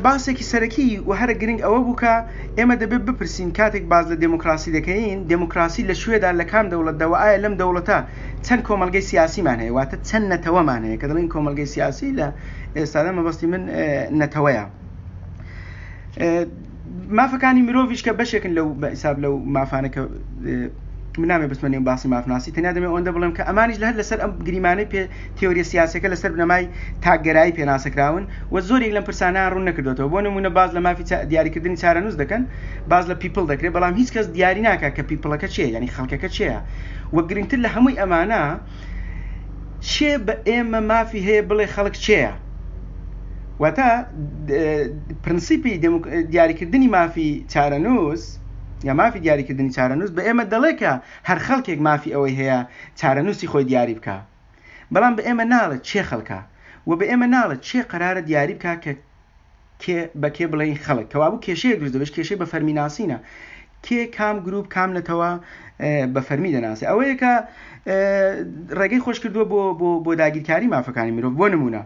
باسێکی سەرەکی و هەرە گرنگ ئەوە بوو کە ئێمە دەبێت بپرسین کاتێک باس لە دێموکراسی دەکەین، دێموکراسی لە کوێدا، لە کام دەوڵەتدا و ئایا لەم دەوڵەتە چەند کۆمەڵگەی سیاسیمان هەیە، واتە چەند نەتەوەمان هەیە، کە دەڵێین کۆمەڵگەی سیاسی لە ئێستادا مەبەستی من نەتەوەیە. مافەکانی مرۆڤیش کە بەشێکن لەو بە حیساب لەو مافانە کە من نامێ بچمە نێو باسی مافناسی تەنیا دەمێ ئەوەندە بڵێم کە ئەمانیش لە هەر لەسەر ئەم گریمانەی پێ تێۆریە سیاسەکە لەسەر بنەمای تاکگەرایی پێناسەکراون و زۆرێک لەم پرسانە ڕوون نەکردوێتەوە بۆ نمونە باز لە مافی دیاریکردنی چارەنووس دەکەن باز لە people دەکرێت بەڵام هیچ کەس دیاری ناکات کە people ەکە چییە یعنی خەڵکەکە چییە و گرنگتر لە هەمووی ئەمانە چێ بە ئێمە مافی هەیە بڵێ خەڵک چێە واتە پرنسیپی دیاریکردنی مافی چارەنووس یا مافی دیاریکردنی چارەنووس بە ئێمە دەڵێ کە هەر خەڵکێک مافی ئەوەی هەیە چارەنووسی خۆی دیاری بکا بەڵام بە ئێمە ناڵێت چێ خەڵکە و بە ئێمە ناڵێت چێ قەرارە دیاری بکا کە کێ بە کێ بڵێین خەڵک کەوابوو کێشەیەک دروست دەبێت کێشەی بە فەرمی ناسینە کێ کام گروپ کام نەتەوە بە فەرمی دەناسێ ئەوەیە کە ڕێگەی خۆش کردووە بۆ بۆ بۆ داگیرکاری مافەکانی مرۆڤ بۆ نمونە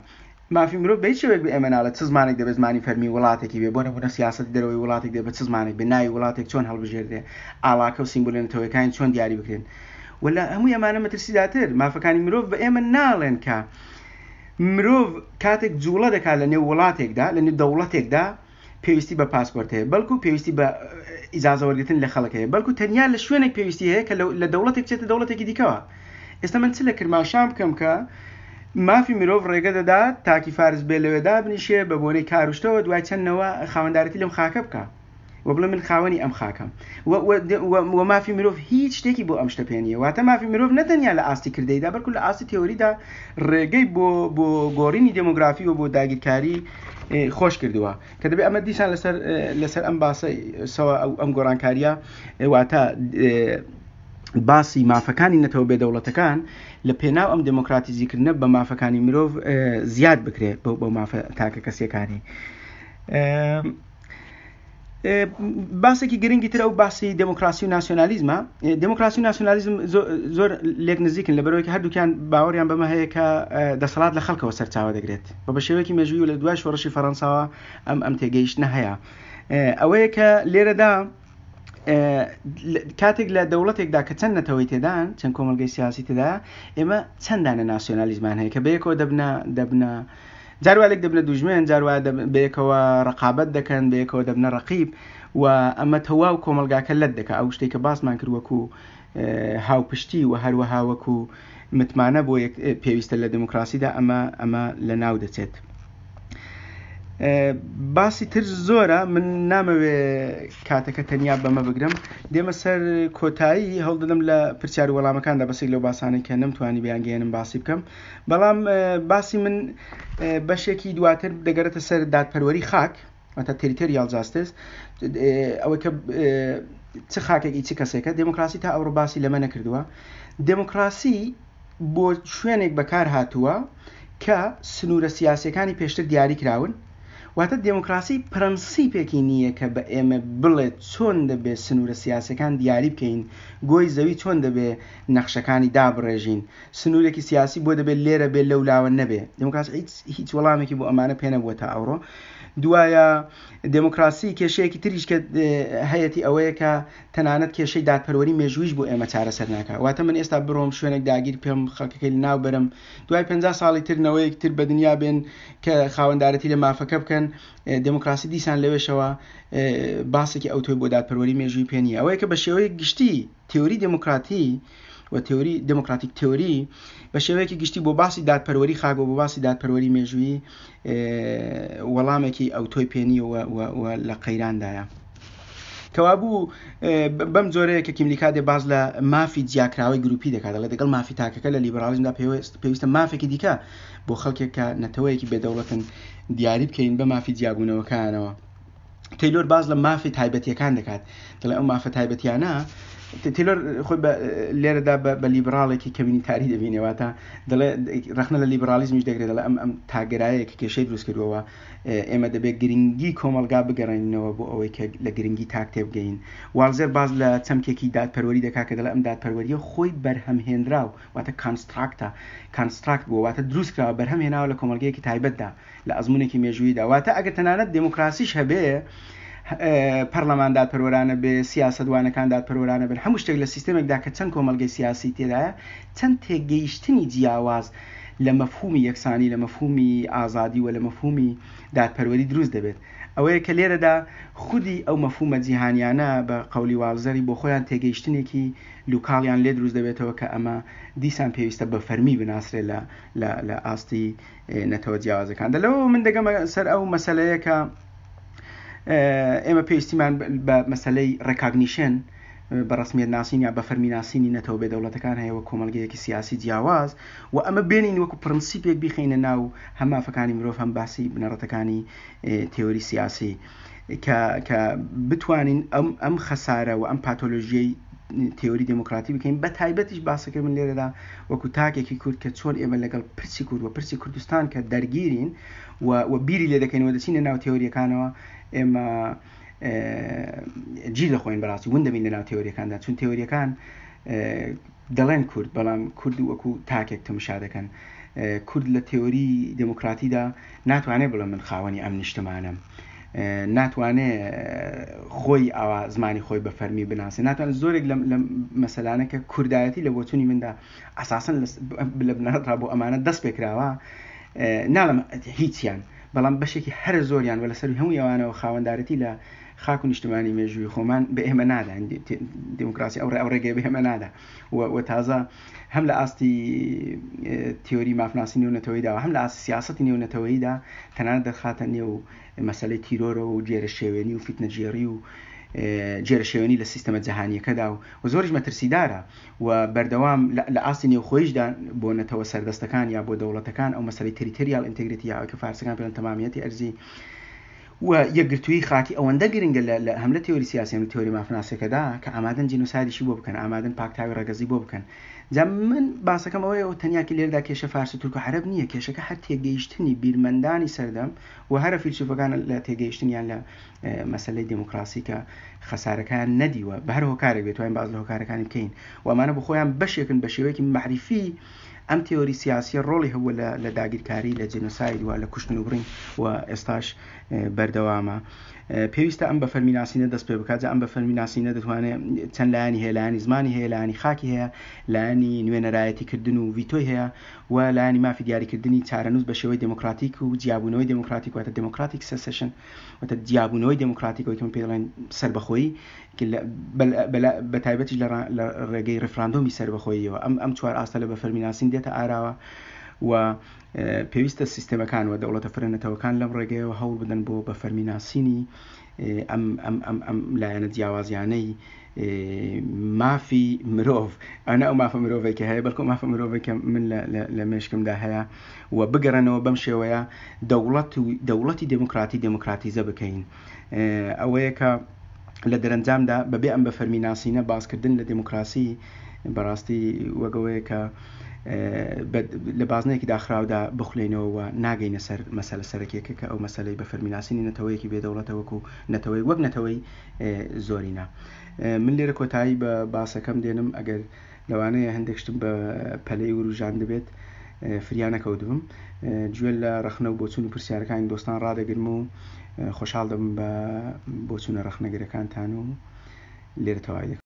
مافی مرۆڤ بە هیچ شێوەیەک بە ئێمە ناڵێت چ زمانێک دەبێت زمانی فەرمی وڵاتێکی بێ بۆ نمونە سیاسەتی دەرەوەی وڵاتێک دەبێت بە چ زمانێک بێ ناوی وڵاتێک چۆن هەڵبژێردرێ ئاڵاکە و سیمبولە نەتەوەیەکانی چۆن دیاری بکرێن و لە هەمووی ئەمانە مەترسیدارتر مافەکانی مرۆڤ بە ئێمە ناڵێن کە مرۆڤ کاتێک جوڵە دەکات لە نێو وڵاتێکدا لە نێو دەوڵەتێکدا پێویستی بە پاسپۆرت هەیە بەڵکو پێویستی بە ئیجازە وەرگرتن لە خەڵک هەیە بەڵکو تەنیا لە شوێنێک پێویستی هەیە کە لە دەوڵەتێک بچێتە دەوڵەتێکی دیکەوە ئێستا من چ لە کرماشان بکەم کە مافی مرۆڤ ڕێگە دەدات تاکی فارس بێ لەوێ دابنیشێ بە بۆنەی کاروشتەوە دوای چەند نەوە خاوەندارەتی لەم خاکە بکە و بڵێ من خاوەنی ئەم خاکەم و مافی مرۆڤ هیچ شتێکی بۆ ئەم شتە پێ نییە واتە مافی مرۆڤ نەتەنیا لە ئاستی کردەیدا بەڵکو لە ئاستی تێۆریدا ڕێگەی بۆ بۆ گۆڕینی دێمۆگرافی و بۆ داگیرکاری خۆش کردووە کە دەبێت ئەمە دیسان لەسەر لەسەر ئەم باسە سەوە ئەو ئەم گۆڕانکاریە واتە باسی مافەکانی نەتەوە بێدەوڵەتەکان لە پێناو ئەم دێمۆکراتیزیکردنە بە مافەکانی مرۆڤ زیاد بکرێت بۆ بۆ مافە تاکە کەسیەکانی. باسێکی گرنگی تر ئەو باسی دموکراسی و ناسیۆنالیزمە دموکراسی و ناسیۆنالیزم زۆر لێک نزیکن لە بەرەوەی هەردووکیان باوەڕیان بەمە هەیە کە دەسەڵات لە خەڵکەوە سەرچاوە دەگرێت و بە شێوەیەکی مێژووی و لە دوای شۆڕشی فەڕەنساوە ئەم ئەم تێگەیشتنە هەیە ئەوەیە کە لێرەدا کاتێک لە دەوڵەتێکدا کە چەند نەتەوەی تێدان چەند کۆمەلگەی سیاسی تێدا ئێمە چەندانە ناسیۆنالیزمان هەیە کە بەیەکەوە دەبنە دەبنە جار وا لێک دەبنە دوژمن، جار وا بەیەکەوە ڕەقابەت دەکەن، بەیەکەوە دەبنە ڕەقیب و ئەمە تەواو کۆمەڵگاکە لەت دەکا. ئەو شتەی کە باسمان کرد وەکو هاوپشتی و هەروەها وەکو متمانە بۆ یەک پێویستە لە دێموکراسیدا ئەمە ئەمە لە ناو دەچێت. باسی تر زۆرە من نامەوێ کاتەکە تەنیا بەمە بگرم دێمە سەر کۆتایی هەوڵدەدەم لە پرسیار و وەڵامەکاندا بەسێک لەو باسانەی کە نەمتوانی بیانگەیەنم باسی بکەم بەڵام باسی من بەشێکی دواتر دەگەڕێتە سەر دادپەروەری خاک واتە territorial justice ئەوەی کە چ خاکێکی چ کەسێکە دێموکراسی تا ئەوڕۆ باسی لەمە نەکردووە دێموکراسی بۆ شوێنێک بەکار هاتووە کە سنوورە سیاسەکانی پێشتر دیاری کراون واتە دێموکراسی پرەنسیپێکی نییە کە بە ئێمە بڵێت چۆن دەبێت سنوورە سیاسەکان دیاری بکەین گۆی زەوی چۆن دەبێ نەخشەکانی دابڕێژین سنوورێکی سیاسی بۆ دەبێت لێرە بێ لەو لاوە نەبێ دێموکراسی هیچ هیچ وەڵامێکی بۆ ئەمانە پێ نەبووە تا ئەوڕۆ دوایە دێموکراسی کێشەیەکی تریش کە هەیەتی ئەوەیە کە تەنانەت کێشەی دادپەروەری مێژوویش بۆ ئێمە چارەسەر ناکا واتە من ئێستا بڕۆم شوێنێک داگیر بکەم خەڵکەکەی لەناو بەرم دوای 50 ساڵی تر نەوەیەک تر بە دنیا بێن کە خاوەندارەتی لە مافەکە بکەن دێموکراسی دیسان لەوێشەوە باسێکی ئەوتۆی بۆ دادپەروەری مێژووی پێ نییە ئەوەیە کە بە شێوەیەک گشتی تێوری دێموکراتی و تێوری democratic theory بە شێوەیەکی گشتی بۆ باسی دادپەروەری خاک و بۆ باسی دادپەروەری مێژوویی وەڵامێکی ئەوتۆی پێ نییە و لە قەیراندایە. کەوابوو بەم جۆرەیە کە کیملیکا دێ باز لە مافی جیاکراوەی گروپی دەکات دەڵێ دەگەڵ مافی تاکەکە لە لیبرالیزمدا پێویستە مافێکی دیکە بۆ خەڵکێک کە نەتەوەیەکی بێدەوڵەتن دیاری بکەین بە مافی جیابوونەوەکانەوە. تەیلۆر باس لە مافی تایبەتیەکان دەکات دەڵێ ئەو مافە تایبەتیانە تیلۆر خۆی لێرەدا بە لیبراڵێکی کەمینیتاری دەبینێ واتە دەڵێ ڕەخنە لە لیبرالیزمیش دەگرێت دەڵێ ئەم ئەم تاگەرایەیە کە کێشەی دروست کردووە ئێمە دەبێت گرنگی کۆمەڵگا بگەڕێنینەوە بۆ ئەوەی کە لە گرنگی تاک تێبگەین والزێر باز لە چەمکێکی دادپەروەری دەکات کە دەڵێ ئەم دادپەروەریە خۆی بەرهەمهێنراو واتە construct ە construct بووە واتە دروست کراوە بەرهەم هێناوە لە کۆمەڵگەیەکی تایبەتدا لە ئەزموونێکی مێژووییدا واتە ئەگەر تەنانەت دێموکراسیش هەبێ پەرلەمان دادپەروەرانە بێ سیاسەتوانەکان دادپەروەرانە بن هەموو شتێک لە سیستەمێکدا کە چەند کۆمەڵگەی سیاسی تێدایە چەند تێگەیشتنی جیاواز لە مەفهومی یەکسانی لە مەفهومی ئازادی و لە مەفهومی دادپەروەری دروست دەبێت. ئەوەیە کە لێرەدا خودی ئەو مەفهومە جیهانیانە بە قەولی والزەری بۆ خۆیان تێگەیشتنێکی لوکاڵیان لێ دروست دەبێتەوە کە ئەمە دیسان پێویستە بە فەرمی بناسرێ لە لە لە ئاستی نەتەوە جیاوازەکاندا. لەوەوە من دەگەمە سەر ئەو مەسەلەیە کە ئێمە پێویستیمان بە مەسەلەی ڕێکاگنیشن بە ڕەسمیەت ناسین یا بە فەرمی ناسینی نەتەوە بێ دەوڵەتەکان هەیە وەک کۆمەڵگەیەکی سیاسی جیاواز و ئەمە بێنین وەکو پرنسیپێک بیخەینە ناو هەم مافەکانی مرۆڤ هەم باسی بنەڕەتەکانی تێۆری سیاسی کە کە بتوانین ئەم ئەم خەسارە و ئەم پاتۆلۆژیەی تێۆری دێموکراتی بکەین بە تایبەتیش باسەکەی من لێرەدا وەکو تاکێکی کورد کە چۆن ئێمە لەگەڵ پرسی کورد و پرسی کوردستان کە دەرگیرین و و بیری لێ دەکەینەوە دەچینە ناو تێۆریەکانەوە ئێمە گیر دەخۆین بەڕاستی ون دەبین لەناو تێۆریەکاندا چون تێۆریەکان دەڵێن کورد بەڵام کورد وەکو تاکێک تەمشا دەکەن کورد لە تێۆری دێموکراتیدا ناتوانێت بڵێ من خاوەنی ئەم نیشتمانەم ناتوانێ خۆی ئاوا زمانی خۆی بە فەرمی بناسێ ناتوانێت زۆرێک لەم مەسەلانە کە کوردایەتی لە بۆچوونی مندا ئەساسن لە بنەڕەتڕا بۆ ئەمانە دەست پێکراوە ناڵم هیچیان بەڵام بەشێکی هەرە زۆریان و لەسەر هەموو ئەوانەوە خاوەندارێتی لە خاک و نیشتمانی مێژووی خۆمان بە ئێمە نادا دیموکراسی ئەو ڕێ ئەو ڕێگەی بە ئێمە نادا و تازە هەم لە ئاستی تیۆری مافناسی نێونەتەوەیدا و هەم لە ئاستی سیاسەتی نێونەتەوەیدا تەنانەت دەرخاتە نێو مەسەلەی تیرۆرەوە و گێرەشێوێنی و فیتنەگێڕی و گێرەشێوێنی لە سیستەمە جەهانییەکەدا و زۆریش مەترسیدارە و بەردەوام لە ئاستی نێوخۆیشدا بۆ نەتەوە سەردەستەکان یا بۆ دەوڵەتەکان ئەو مەسەلەی territorial integrity یا ئەوەی کە فارسەکان پێڵێن تەمامیەتی ئەرزی و یەکگرتوویی خاکی ئەوەندە گرنگە لە هەم لە تێۆری سیاسی هەم لە تێۆری مافناسیەکەدا کە ئامادەن جینۆسایدیشی بۆ بکەن، ئامادەن پاکتاوی ڕەگەزی بۆ بکەن. جا من باسەکەم ئەوەیە و تەنیا لێرەدا کێشە فارس و تورک و عەرەب نییە، کێشەکە هەر تێگەیشتنی بیرمەندانی سەردەم و هەرە فیلسوفەکانە لە تێگەیشتنیان لە مەسەلەی دێموکراسی کە خەسارەکەیان نەدیوە بە هەر هۆکارێک بێت توانین باس لە هۆکارەکانی بکەین و ئەمانە بۆ خۆیان بەشێکن بە شێوەیەکی مەعریفی ئەم تێۆری سیاسیە ڕۆڵی هەبووە لە لە داگیرکاری لە جینۆساید و لە کوشتن و بڕین و ئێستاش بەردەوامە. پێویستە ئەم بە فەرمی ناسینە دەست پێ بکات، جا ئەم بە فەرمی ناسینە دەتوانێت چەند لایەنی هەیە، لایەنی زمانی هەیە، لایەنی خاکی هەیە، لایەنی نوێنەرایەتی کردن و ڤیتۆی هەیە و لایەنی مافی دیاریکردنی چارەنووس بە شێوەی دێموکراتیک و جیابوونەوەی دێموکراتیک واتە democratic secession واتە جیابوونەوەی دێموکراتیک ئەوەی کە من پێی دەڵێن سەربەخۆیی بە تایبەتیش لە ڕێگەی ڕیفراندۆمی سەربەخۆییەوە ئەم ئەم چوار ئاستە لە بە فەرمی ناسین دێتە ئاراوە و پێویستە سیستێمەکان و دەوڵەتە فرە نەتەوەکان لەم ڕێگەیەوە هەوڵ بدەن بۆ بە فەرمی ناسینی ئەم ئەم ئەم ئەم لایەنە جیاوازیانەی مافی مرۆڤ ئەنە ئەو مافە مرۆڤێک کە هەیە بەڵکو مافە مرۆڤێک کە من لە مێشکمدا هەیە و بگەڕێنەوە بەم شێوەیە دەوڵەت و دەوڵەتی دێموکراتی دێموکراتیزە بکەین ئەوەیە کە لە دەرەنجامدا بەبێ ئەم بە فەرمی ناسینە باسکردن لە دێموکراسی بەڕاستی وەک ئەوەیە کە لە بازنەیەکی داخراودا بخولێینەوە و ناگەینە سەر مەسەلە سەرەکیەکە کە ئەو مەسەلەی بە فەرمی ناسینی نەتەوەیەکی بێ دەوڵەتە وەکو نەتەوەی وەک نەتەوەی زۆرینە. من لێرە کۆتایی بە باسەکەم دێنم ئەگەر لەوانەیە هەندێک شتم بە پەلەی وروژاندبێت فریا نەکەوتبم گوێ لە ڕەخنە و بۆچوون و پرسیارەکانی دۆستان ڕادەگرم و خۆشحاڵ دەبم بە بۆچوونە ڕەخنەگرەکانتان و لێرە تەواوی دەکەم.